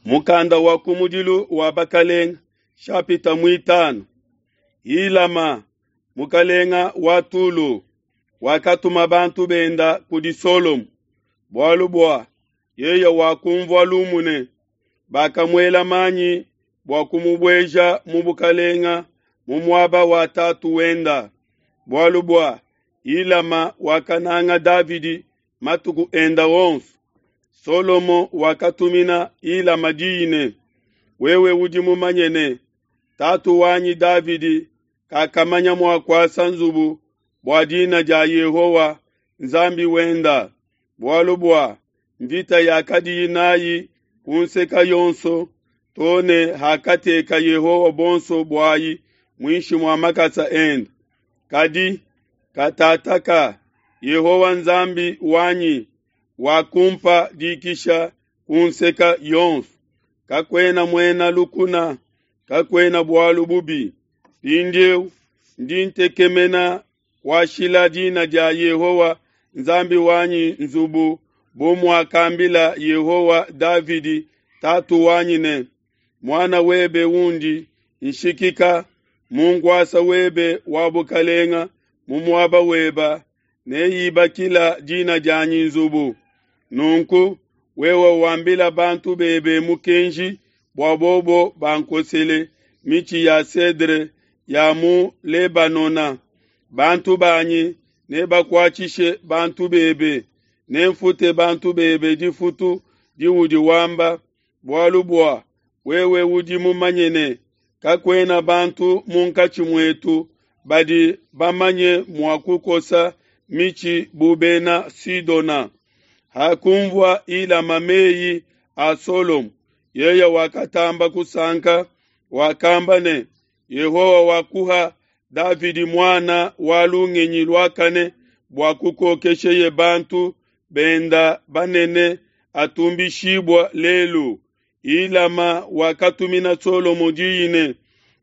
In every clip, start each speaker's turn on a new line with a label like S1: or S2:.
S1: Mukanda wa kumudilu wa Bakalenga, shapita muitanu. Hilama, mukalenga wa Tulo, wakatuma bantu benda kudi Solomo, bualu bua yeye wakumvua lumu ne, bakamuela manyi bua kumubueja mu bukalenga mu muaba wa tatu wenda, bualu bua Hilama wakananga Davidi matuku enda onso. Solomo wakatumina Hilama diyi ne, Wewe udi mumanye ne, tatu wanyi Davidi kakamanya mua kuasa nzubu bua dina dia Yehowa Nzambi wenda, bualu bua mvita yakadiyi nayi ku nseka yonso to ne hakateka Yehowa buonso buayi muinshi mua makasa ende. Kadi katataka Yehowa Nzambi wanyi wakumpa dikisha ku nseka yonso. Kakuena muena lukuna, kakuena bualu bubi. Mpindieu ndi ntekemena kuashila dina dia Yehowa Nzambi wanyi nzubu bu muakambila Yehowa Davidi tatu wanyi ne, Muana webe undi nshikika mu nkuasa webe wa bukalenga mu muaba weba neibakila dina dianyi nzubu. Nunku wewe wambila bantu bebe mukenji bua bobo bankosele mitshi ya cedre ya mu Lebanona. Bantu banyi nebakuatshishe bantu bebe, nemfute bantu bebe difutu diudi wamba, bualu bua wewe udi mumanye ne, kakuena bantu munkatshi muetu badi bamanye mua kukosa mitshi bu bena Sidona. Hakunvua Hilama meyi a Solomo, yeye wakatamba kusanka, wakamba ne, Yehowa wakuha Davidi muana wa lungenyi luakane bua kukokesheye bantu benda banene atumbishibua lelu. Hilama wakatumina Solomo diyi ne,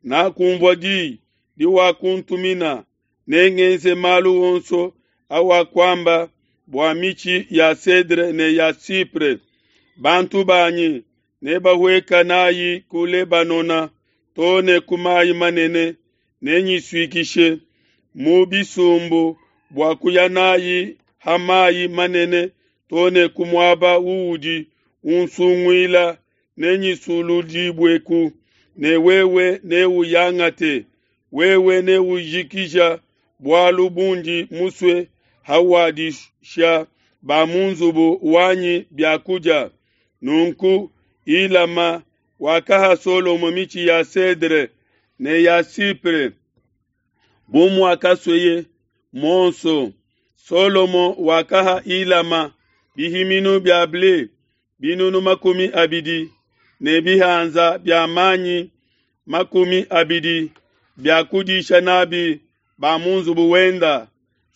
S1: Nakunvua diyi diwakuntumina, nengenze malu onso awakuamba bua mitshi ya cedre ne ya cypre. Bantu banyi nebahueka nayi ku Lebanona to ne ku mayi manene, nenyisuikishe mu bisumbu bua kuya nayi ha mayi manene to ne ku muaba uudi unsunguila, nenyisuludibueku, ne wewe neuyangate. Wewe neujikija bualu bundi musue hawadisha ba mu nzubu wanyi bia kudia. Nunku Hilama wakaha Solomo mitshi ya cedre ne ya cypre bu muakasueye muonso. Solomo wakaha Hilama bihiminu bia ble binunu 20 ne bihanza bia manyi 20 bia kudisha nabi ba mu nzubu wenda.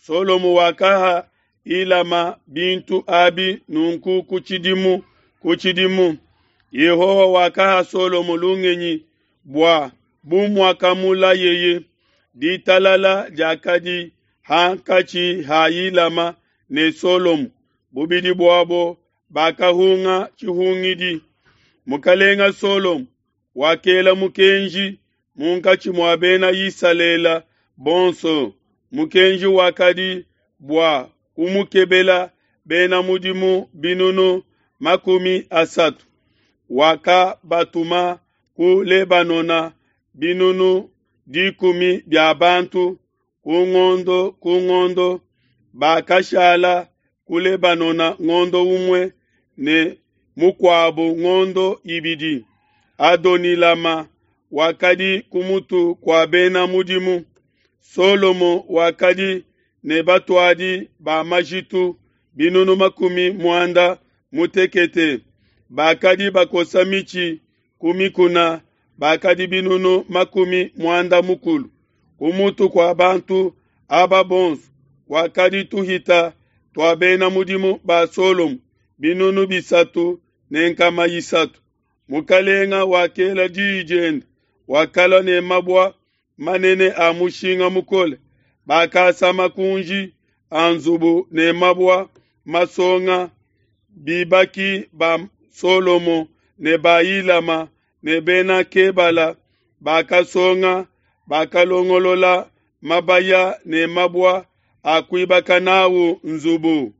S1: Solomo wakaha Hilama bintu abi nunku ku tshidimu ku tshidimu. Yehowa wakaha Solomo lungenyi bua bu muakamulayeye. Ditalala diakadi hankatshi ha Hilama ne Solomo, bubidi buabo bakahunga tshihungidi. Mukalenga Solomo wakela mukenji munkatshi mua bena Isalele bonso. Mukenji wakadi bua kumukebela bena mudimu binunu 30. Wakabatuma ku Lebanona binunu 10 bia bantu ku ngondo ku ngondo. Bakashala ku Lebanona ngondo umue ne mukuabo ngondo ibidi. Adonilama wakadi ku mutu kua bena mudimu. Solomo wakadi ne batuadi ba majitu binunu 60 bakadi bakosa mitshi ku mikuna bakadi binunu 60. Ku mutu kua bantu aba bonso wakadi tuhita tua bena mudimu ba Solomo binunu 3 ne nkama 3. Mukalenga wakela diyi diende, wakalua ne mabua manene a mushinga mukole. Bakasa makunji a nzubu ne mabua masonga. Bibaki ba Solomo ne ba Hilama ne Bena Kebala bakasonga, bakalongolola mabaya ne mabua a kuibaka n'au nzubu.